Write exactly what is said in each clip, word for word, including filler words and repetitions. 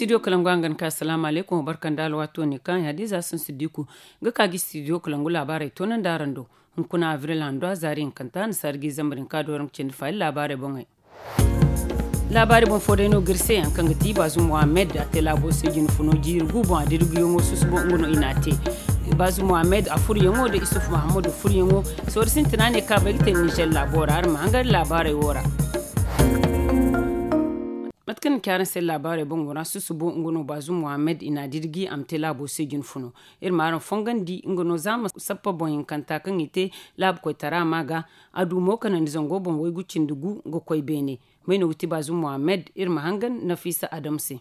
Studio kalangu a ga ni ka asalaamu aleykum barka nda alwaato ne kaŋ ya da ize a sansu diku ga ka ga studio kalangu laabaarey toonandi araŋ do. Hunkuna abril hando a zaari hinkanta a na saari ga i zambar hinka dooraŋ ga cindi faayi laabaarey boŋey. Laabaari boŋ fo day no ga iri se yaŋ kaŋ ga ti baazum mohammed a te laabo se jine funo jiiri gu boŋ a dira guyaŋo susubo nga no i n'a te. Baazum mohammed a furyaŋo nda isuf mahammadu furyaŋo. Sohõ sintina ne kaŋ a bay ga te nizer laabo ra iri ma hangan laabaarey wo ra. Mate kaŋ ni ci araŋ se laabaarey boŋo ra susubo nga no baazum mohammed i n'a dira gi a ma te laabo se jine funo. Iri ma araŋ fongandi nga no za ma sappa boŋ hinkanta kaŋ i te laabu koytara ma ga. A du mo kanandi zango boŋ waygu cindi gu ga koy beene. May no ga ti baazum mohammed iri ma hangan nafiisa adam se.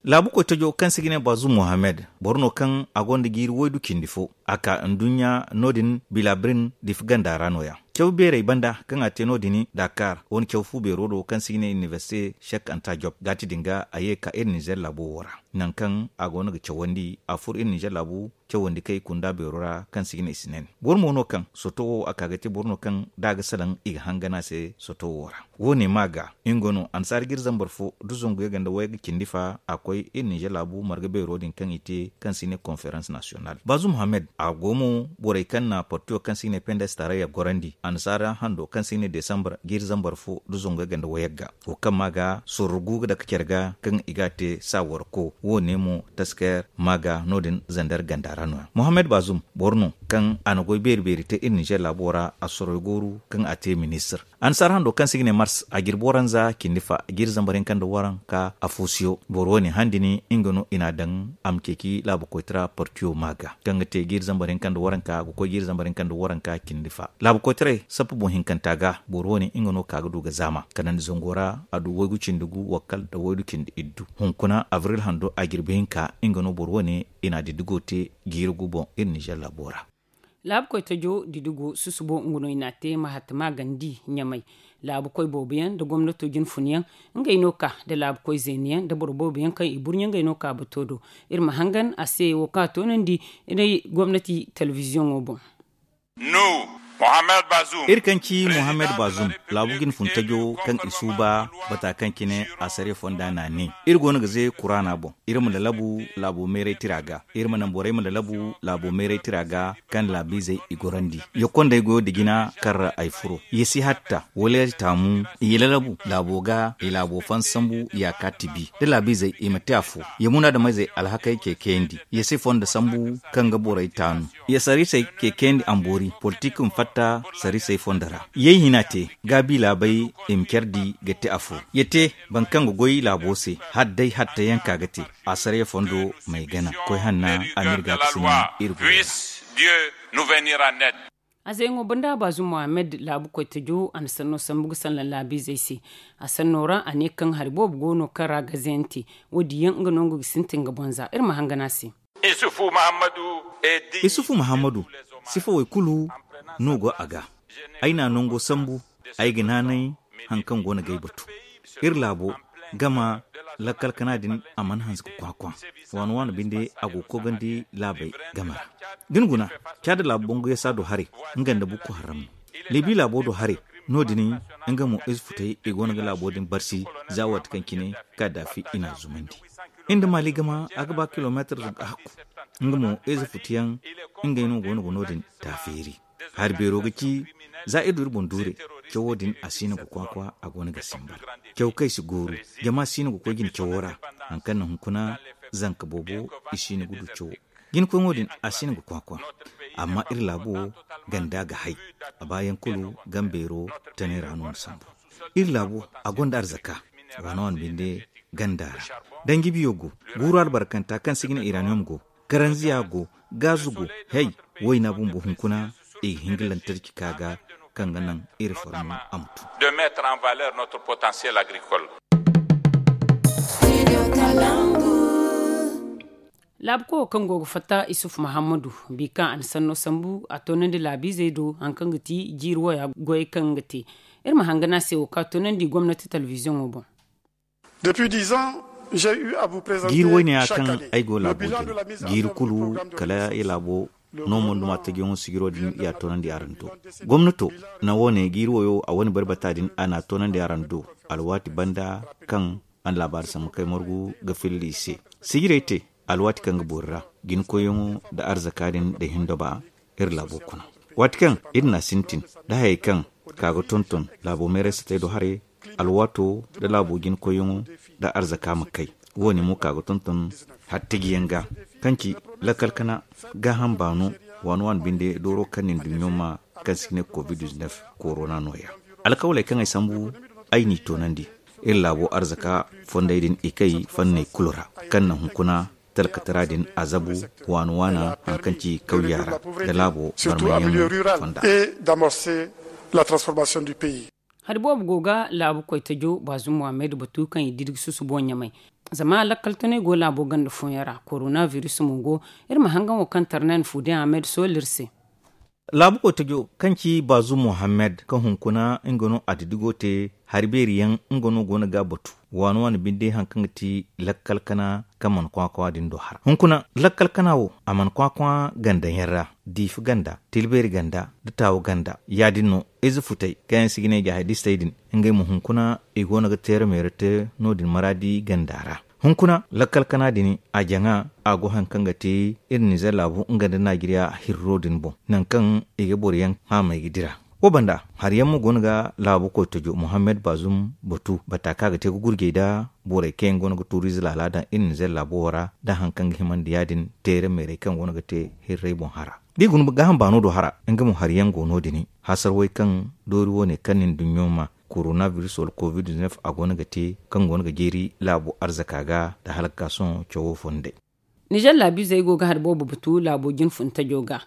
Laabu koytajo kaŋ se i ga ne baazum mohammed boro no kaŋ a gonda jiiri waydu cindi fo a ka nduɲɲa no- din bilabirin difa ganda ra no- ya. Caw beerey banda kaŋ a te no- din dakar wane caw fu beero do kaŋ se i ga ne inibersite shek anta job gaati din ga a ye ga ka iri nizer laabo wo ra. Nangu kaŋ a go no ga cawandi a furo iri nizer laabu cawandi kay kunda beero ra kaŋ se i ga ne i si nen. Boro mo no kaŋ soto wo a ka ga te boro no kaŋ da a ga salaŋ i ga hangan a se soto wo ra. Wo- ne ma ga nga no annasaara ga iri zambar fo da zangu yagga nda wayagga cindi fa a koy iri nizer laabu marga beero din kaŋ i te kaŋ se i ne konferans nasiyonal baazum mohammed a go mo borey kaŋ na partiyo kaŋ se i ne pendes tarayya gorandi annasaara hando kaŋ se i ne desambar ga iri zambar fo da zangu yagga nda wayagga. Wo kaŋ ma ga sorro gu ga dake care ga kaŋ i ga a te saa warko wo- ne mo tasker ma ga no- din zander ganda ra no- ya mohammed baazum boro no kaŋ a na goy beeri beeri te iri nizer laabo ra a soroy gooru kaŋ a te ministir. Annasaara hando kaŋ se i ga ne mars a jirbi waranza cindi fa jiiri zambar hinka nda waranka a foosiyo boro wo- ne handi ni nga no i n'a daŋ a ma ceeci laabu koytara partiyo ma ga kaŋ ga te jiiri zambar hinka nda waranka ga koy jiiri zambar hinka nda waranka cindi fa laabu koytaray sappa boŋ hinkanta ga boro wo- ne nga no ka ga du ga zaama kanandi zango ra a du waygu cindi gu wakkal nda waydu cindi iddu. Hunkuna abril hando a jirbi hinka nga no boro wo- ne i n'a diddigo te jiiri gu boŋ iri nizer laabo ra. Laabu koytajo didigo susubo nga no i n'a te mahatta magandi ɲamay. Laabu koy boobo yaŋ nda gomnato jinfun yaŋ ngey no ka nda laabu koy zeeni yaŋ nda boro boobo yaŋ kaŋ i burɲe ngey no ka bato do. Iri ma hangan a se wo kaŋ a toonandi gomnati telebiziyoŋo boŋ. Iri kaŋ ci mohammed baazum laabu jinfun tajo kaŋ i suuba bata kaŋ cine a sariya fonda n'a ne iri go no ga ze kuraana boŋ iri ma lalabu laabo meeray tira ga iri ma naŋ borey ma lalabu laabo meeray tira ga kaŋ laabiizey i gorandi. Ya kondey goyo da jina kaŋ ra ay furo ya si hatta wala ya taamu i lalabu laabo ga i laabo fan sambu ya ka tibi da laabiizey i ma te afo ya munaadameyzey alhakey ce kayandi ya si fondo sambu kaŋ ga borey taanu ya sariisey ce kayandi amboori politik ma fatta sariisey fondo ra ya i hina te gaabi laabey i ma care di ga te afo ya te boro kaŋ ga goy laabo se hala day hatta yaŋ ka ga te asariya fondo m'ay gana koy hanna a m'iri ga ga sina iri go. A zeeyaŋo banda baazum mohammed laabu koytajo a na sanno sambu ga sanna laabiizey se. A sanno ra a ne kaŋ hari boobo go no kaŋ ra gaze yaŋ te wo- din yaŋ nga no nga ga sintin ga boŋ za iri ma hangan a se. Isufu mahammadu sifawey kulu no go a ga. Ay n'a nango sambu ay ga naanay hari kaŋ go no ga ay batu. Iri laabo gama lakkal kana din a mana hanse ga kwa-kwa waano-waano binde a go ga koogandi laabey game ra. Da ni guna caada laabu bangu yasa do haray nga nda bukku harram no libi laabo do haray. No- din nga mo ize futey i go no ga laabo din barsi za waati kaŋ cine kaddaafi i n'a zumandi. Iri nda maali gama a ga ba kilomeetar zunka hakku. Nga mo ize futuyaŋ ngey no go no ga no- din taafeeri. Hari beero ga ci za iri du iri boŋ duure. Cawo din a si no ga kwa-kwa a go no ga simbar. Caw kaŋ ay si gooru jama si no ga koy jine cawo ra. Hari kaŋ na hunkuna zanka boobo i si no ga du cawo. Jina koyŋo din a si no ga kwa-kwa. Amma iri laabo ganda ga hay a baayaŋ kulu gambeero tanay ra no ni sambu. Iri laabo a gonda arzaka waano-waano binde ganda ra. Danji biyo go guuru albarkanta kaŋ se i ga ne iraniyom go karanziya go gaazu go. Hey, wayna bumbo hunkuna i ga hin ga lantarki ka ga kaŋ ga naŋ iri farmu a ma tu. Laabu koyo kaŋ go ga fatta isuf mahammadu bi kaŋ a na sanno sambu a toonandi laabiizey do hari kaŋ ga ti jiiri waya goyey kaŋ ga te. Iri ma hangan a se wo kaŋ a toonandi gomnati telebiziyoŋo boŋ. Jiiri wayne ya kaŋ ay go laabo jine jiiri kulu kala ya laabo no monduma tajiyaŋo sijiro din ya toonandi araŋ do. Gomnato na wo- ne jiiri wayo a wane barbata din a n'a toonandi araŋ do alwaati banda kaŋ An laabaari sambu kay margu ga filla i se. Sijirey te alwaati kaŋ ga boori ra, jinkoyyaŋo nda arzaka din da hindo ba iri laabo kuna. Waati kaŋ iri na a sintin da hayey kaŋ ka ga tonton laabo meeray satey do haray, alwaato nda laabo jinkoyyaŋo nda arzaka ma kay. Wo- ne mo ka ga tonton hattajiyaŋ ga, kaŋ ci lakkal kana gaaham baano waani waani binde dooro kaŋ nin duɲɲo ma, kaŋ si ga ne covid-19 korona nooya. Alkawaley kaŋ ay sambu, ay n'i toonandi. Iri laabo arzaka fondey din i kay fanney kulu ra, kaŋ na hunkuna talkatara din a zabu waana waana, haŋ kaŋ ci kawya ra nda laabo barmayyaŋo fonda. Hari boobo go ga laabu koytajo baazum muhammed batu kaŋ i didigi susubo ɲamay. Zama lakkal tunay go laabo ganda fooyaŋ ra, korona biris mo go. Iri ma hangan wo kaŋ tarnan fuude ahmed sool iri se. Laabu koytajo kaŋ ci baazum muhammed kaŋ hunkuna nga no a didigo te, hari beeri yaŋ nga no go no ga a batu. Waani waani binde haŋ kaŋ ga ti lakkal kana kaŋ mana kwakwa din do hara hunkuna lakkal kana wo a mana kwakwa ganda yaŋ ra, diifi ganda, tilbeeri ganda, da taawu ganda. Ya- din no ize futey kaŋ yaŋ si ga ne jaahidistey din, ngey mo hunkuna i go no ga teera meera te no- din maraadi ganda ra. Hunkuna lakkal kana din a jaŋa, a go haŋ kaŋ ga te iri nizer laabu nga nda najeriya hirro din boŋ, nangu kaŋ i ga boro yaŋ haamay ga dira. Wo banda hari yaŋ mo go no ga laabu koytajo muhammed baazum batu bata kaŋ a ga te ga gurjey nda borey kaŋ yaŋ go no ga tuuriize laala daŋ iri nizer laabo wo ra, da haŋ kaŋ ga himandi ya- din teere meerey kaŋ go no ga te hirrey boŋ hara. Da i guna gaaham baano do hara, nga mo hari yaŋ go no- din. Hasarwey kaŋ doori wo- ne kaŋ nin duɲɲo ma, korona biris wala covid-19 a go no ga te, kaŋ go no ga jeeri laabo arzaka ga nda halakka sohõ cawo fondey. Nizer laabiizey go ga hari boobo batu laabo jinfuntajo ga.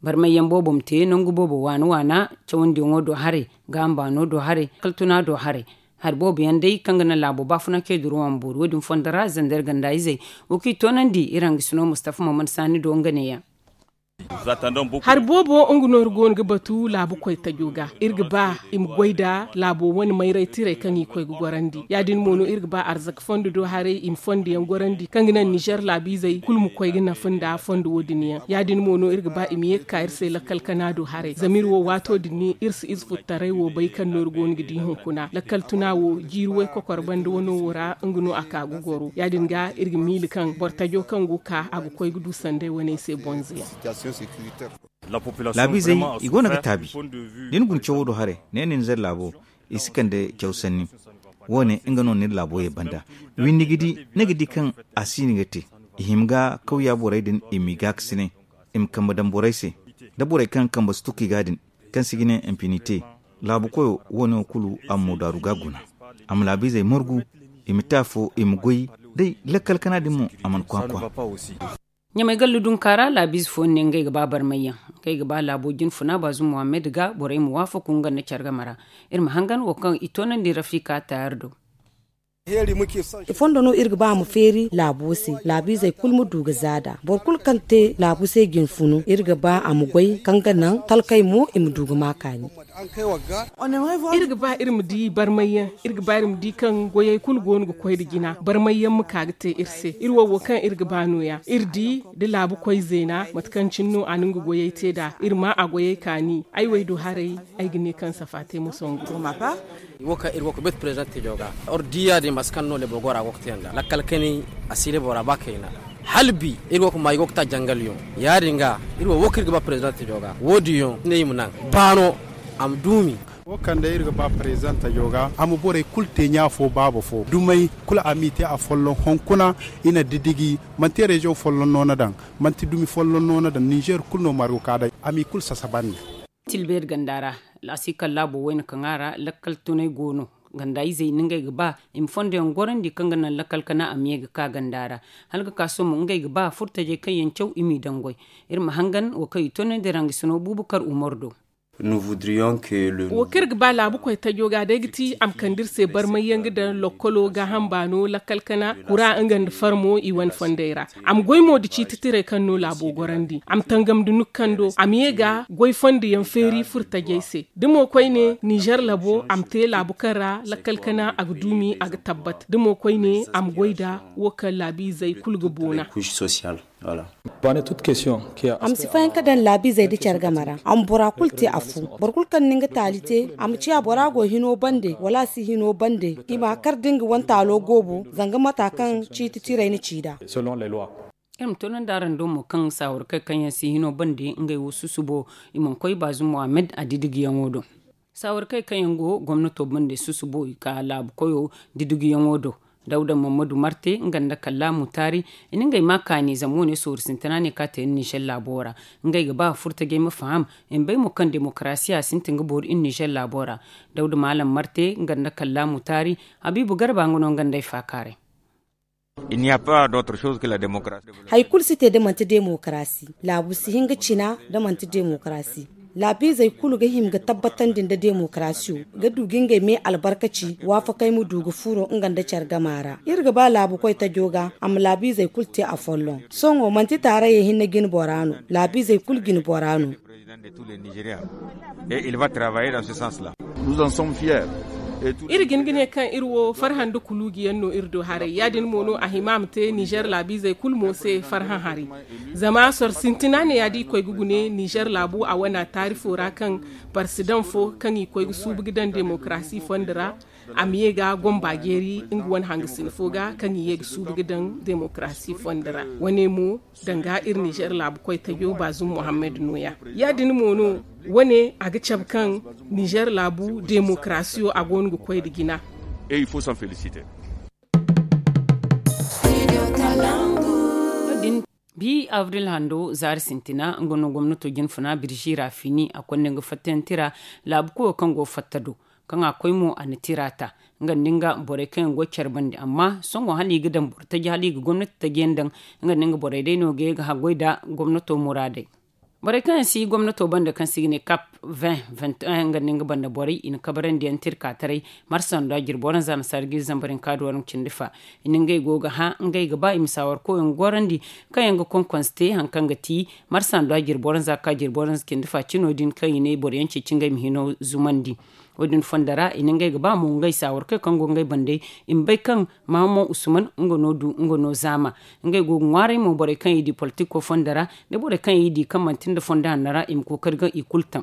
Barmayyaŋ boobo ma te nangu boobo waana waana, cawandiyaŋo do haray, gaaham baano do haray, kaltuna do haray. Hari boobo yaŋ day kaŋ ga naŋ laabo baafuna kay duruwa ma boori wo- din fondo ra zander ganda izey. Wo kaŋ i toonandi iri hangasino mustafa maman saani do nga neeya. Hari boobo nga no iri go no ga batu laabu koytajo ga, iri ga ba i ma goy nda laabo wane mayray tirey kaŋ i koy ga gorandi. Ya- din mo no iri ga ba arzaka fondo do haray i ma fondo yaŋ gorandi kaŋ ga naŋ nizer laabiizey kulu ma koy ga nafa nda fondo wo- din yaŋ. Ya- din mo no iri ga ba i ma ye ga ka iri se lakkal kana do haray zama iri wo waato din iri si ize futtaray wo bay kaŋ no iri go no ga di hunkuna lakkal tuna wo jiiri waykokor banda wano wo ra nga no a ka ga goro ya- din ga iri ga miila kaŋ boro tajo kaŋ go ga ka a ga koy ga du sanday waney se bonzo yaŋ. Laabiizey, i go no ga taabi. Da ni guna cawo do haray ne ni nizer laabo, i si kande caw sanni. Wo- ne nga no ni iri laabo ye banda. Windi ga di ni ga di kaŋ a si ni ga te. I hima ga kawya borey din i m'i gaakasinay, i ma kambe daŋ borey se, da borey kaŋ kambe si tuku i ga din, kaŋ se i ga ne infinite. Laabu koyo wo- ne wo kulu a ma moodaaru ga guna. A ma laabiizey margu, i ma te afo i ma goy. Day lakkal kana din mo a mana kwakwa. Ɲamay gallu dunka ra laabiize fooyaŋ ne ngey ga ba barmayyaŋ. Ngey ga ba laabo jinfuna baazum muhammed ga borey ma waafaku nga nda care game ra. Iri ma hangan wo kaŋ i toonandi rafika taayar do. Fondo no iri ga ba a ma feeri laabo se, laabiizey kulu ma du ga zaada. Boro kulu kaŋ te laabu se jinfunu iri ga ba a ma goy kaŋ ga naŋ talkey mo i ma du ga ma kaani. Iri ga ba iri ma di barmayyaŋ. Iri ga ba iri ma di kaŋ goyey kulu go no ga koy nda jina barmayyaŋ ma ka ga te iri se iri wo wo kaŋ iri ga ba nooya iri di da laabu koy zeena mate kaŋ cine no a na nga goyey te nd'a iri ma a goyey kaani. Ay wey do haray, ay ga ne kaŋ safa te ma songu. Wo kaŋ iri go ga bet prezidante jo ga or di ya- din mate kaŋ no lebor gora go ga te nd'a lakkal kani a si lebora ba kayna. Hala bi iri go ga ma i go ga ta jangal yaŋ ya- din ga iri wo wo kaŋ iri ga ba prezidante jo ga wo- din yaŋ ne i ma naŋ baano a ma duumi. Wo kaŋ day iri ga ba prezidante jo ga a ma borey kulu te ɲa fo baaba fo dumey kulu a m'i te a folloŋ hunkuna. I na didigi manti reziyoŋ folloŋ no na daŋ, manti dumi folloŋ no na daŋ ninzeer kulu no margu ka day a m'i kulu sasabandi. Tilbeeri ganda ra a si kalla boro wayna kaŋ a ra lakkal tunay go no. Ganda izey na ngey ga ba i ma fondo yaŋ gorandi kaŋ ga naŋ lakkal kana a ma ye ga ka ganda ra. Hala ga ka sohõ mo ngey ga ba furtajey kaŋ yaŋ caw i m'i daŋ goy. Iri ma hangan wo kaŋ i tonandi rangasino buubakar umar do. Wo kaŋ iri ga ba laabu koytajo ga day ga ti a ma kande iri se barmay yaŋ ga daŋ lokkolo gaaham baano lakkal kana kura nga nda farmo i wane fondey ra. A ma goy mo da ciiti tirey kaŋ no laabo gorandi a ma tangam da nukando a ma ye ga goy fondo yaŋ feeri furtajey se. Da mo koyne nizer labo a ma te laabu kaŋ ra lakkal kana a ga duumi a ga tabbat da mo koyne a ma goy nda wo kaŋ laabiizey kulu ga boona. A ma si fahan ka daŋ laabiizey nda care game ra. A ma bora kulu te a fu. Boro kulu kaŋ na nga taali te, a ma ciya bora go hino bande wala a si hino bande, i ma kar da nga wane taalo goobo zanga mata kaŋ ciiti tiray na ci nd'a. Iri ma toonandi araŋ do mo kaŋ saawarkey kaŋ yaŋ si hino bande ngey wo susubo, i mana koy baazum muhammad a didigiyaŋo do. Saawarkey kaŋ yaŋ go gomnato bande susubo i ka laabu koyo didigiyaŋo do. Dawda mammadu marte nga nda kallaamu taari, i na ngey ma kaani zama wane sooru sintina ne ka te iri nizer laabo ra. Ngey ga ba furtajey ma faham, i ma bay mo kaŋ demokarasiya sintin ga boori iri nizer laabo ra. Dawda maalam marte nga nda kallaamu taari, habiibu garba nga no nga nd'ey faakaaray. Hari kulu si te da manti demokarasi. Laabu si hin ga cina da manti demokarasi. Laabiizey kulu ga hima ga tabbatandi nda demokarasiyo, ga du ga ngey me albarkaci waafakey ma du ga furo nga nda care gama ra. Iri ga ba laabu koy tajo ga a ma laabiizey kulu te afolloŋ. Sohõ manti taarayey hinne jine bora no, laabiizey kulu jine bora no. Iri ga hin ga ne kaŋ iri wo farhã nda kuluuji yaŋ no iri do haray ya- din mo no a hima a ma te nizer laabiizey kulu mo se farhã hari. Zama soro sintina ne ya da i koy ga gune nizer laabu a wana taarifo ra kaŋ parsidaŋ fo kaŋ i koy ga suubu ga daŋ demokarasi fondo ra, a ma ye ga gomba jeeri nga wane hangasina fo ga kaŋ i ye ga suubu ga daŋ demokarasi fondo ra. Wane mo danga iri nizer laabu koytajo baazum muhammad no- ya ya- din mo no. Wane a ga cabe kaŋ nizer laabu demokarasiyo a go no ga koy nda jina. Bi abril hando zaari sintina nga no gomnato jinfuna birzi ra fini a konda nga fattantira laabu koyo kaŋ go fatta do, kaŋ a koy mo a na tira ta nga nda nga borey kaŋ yaŋ go care bande amma sohõ hala i ga daŋ boro taji hala i ga gomnati taji yaŋ daŋ. Nga nda nga borey day no ga ye ga haggoy nda gomnato muraadey. Borey kaŋ yaŋ si gomnato banda kaŋ se i ga ne kap vingt vingt un nga nda nga banda borey i na kabarandi yaŋ tirka taray. Marsa nda jirbo ranza nasaara ga iri zambar hinka da waranka cindi fa. I na ngey go ga hã ngey ga ba i ma saawar koyaŋ gorandi kaŋ yaŋ ga konkonse te hari kaŋ ga ti marsa nda jirbo ranza ka jirbo ranza cindi fa cino din kaŋ i ne boro yaŋ ceeci ngey ma hino zumandi. Wo- din fondo ra i na ngey ga ba mo ngey saawar kaŋ go ngey bande i ma bay kaŋ mahamman usman nga no du nga no zaama. Ngey go ga ŋwaaray mo borey kaŋ i di politiko fondo ra nda borey kaŋ i di kaŋ manti nda fondo hanno ra i ma kookari ga i kulu taŋ.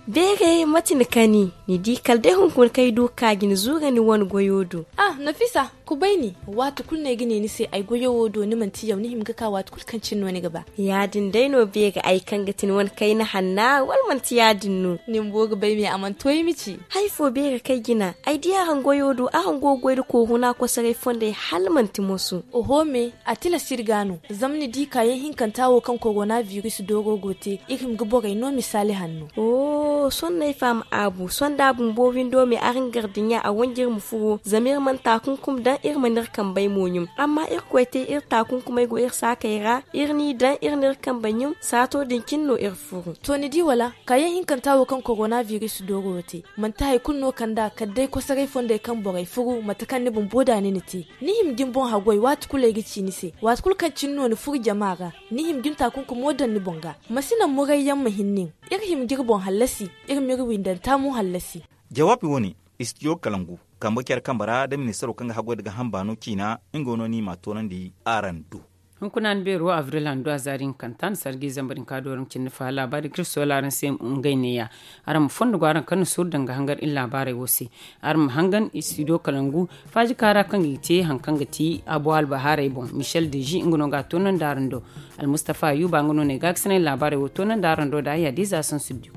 Beeray mate ni kani ni di kala day hunkuna kaŋ ay du ga ka ga ni zuura ni wane goyo do. Ah nafisa, kubay ni. Waati kulu no ay ga ne ni se ay goyo wo do ni manti yaw ni hima ga ka waati kulu kaŋ cine no ni ga ba. Ya- din day no beeray ay kaŋ ga ti ni wane kayna hanna wala manti ya- din no? Ni bumbo ga bay me a mana to ay ma ci. Hari fo beeray kaŋ ay jina ay di araŋ goyo do araŋ go ga goy nda kooruna kosoray fondey hala manti moso. Oho me, a tilas iri ga no zama ni di kaayaŋ hinkanta wo kaŋ korona biris dooro go te iri hima ga borey no misaali hanno. Sohõ no ay faham aabu sohõ da a bumbo windo me araŋ gar dinya a wanji iri ma furo zama iri mana taakunkum daŋ iri mana iri kambey mo ɲum. Amma irkoy te iri taakunkumey go iri saakey ra iri n'i daŋ iri n'iri kambey ɲum saato din cine no iri furu. To ni di wala kaayaŋ hinkanta wo kaŋ korona biris dooro te manti hari kulu no kand'a kala day kosoray fondey kaŋ borey furu mate kaŋ ni bumbo da ni na te. Ni hima ga ni boŋ haggoy waati kulu ay ga ci ni se waati kulu kaŋ cine no ni furu jama ra. Ni hima ga ni taakunkumo daŋ ni boŋ ga. Ma si naŋ murayyaŋ ma hin nin. Iri hima ga iri boŋ hallasi. Iri m'iri windanta mo hallasi. Jawaabi wo- ne istijo kalangu kambe care kambe ra da ministaro kaŋ ga haggoy nda gaaham baano ciina nga no no ni m'a toonandi araŋ do. Hunkuna ni beero abril handu a zaari hinkanta ni sargi zambar hinka dooraŋ cindi fa laabaari ga iri soola araŋ se ngey neeya. Araŋ ma fondo go araŋ kaŋ na suuru danga hangar iri laabaarey wo se. Araŋ ma hangan istijo kalangu faaji kaara kaŋ ga i te hari kaŋ ga ti abo albahaarey boŋ michel deji nga no ga a toonandi araŋ do. Almustafa ayuba nga no ne ga a ga sinay laabaarey wo toonandi araŋ do da ay hadiza sansu diyo.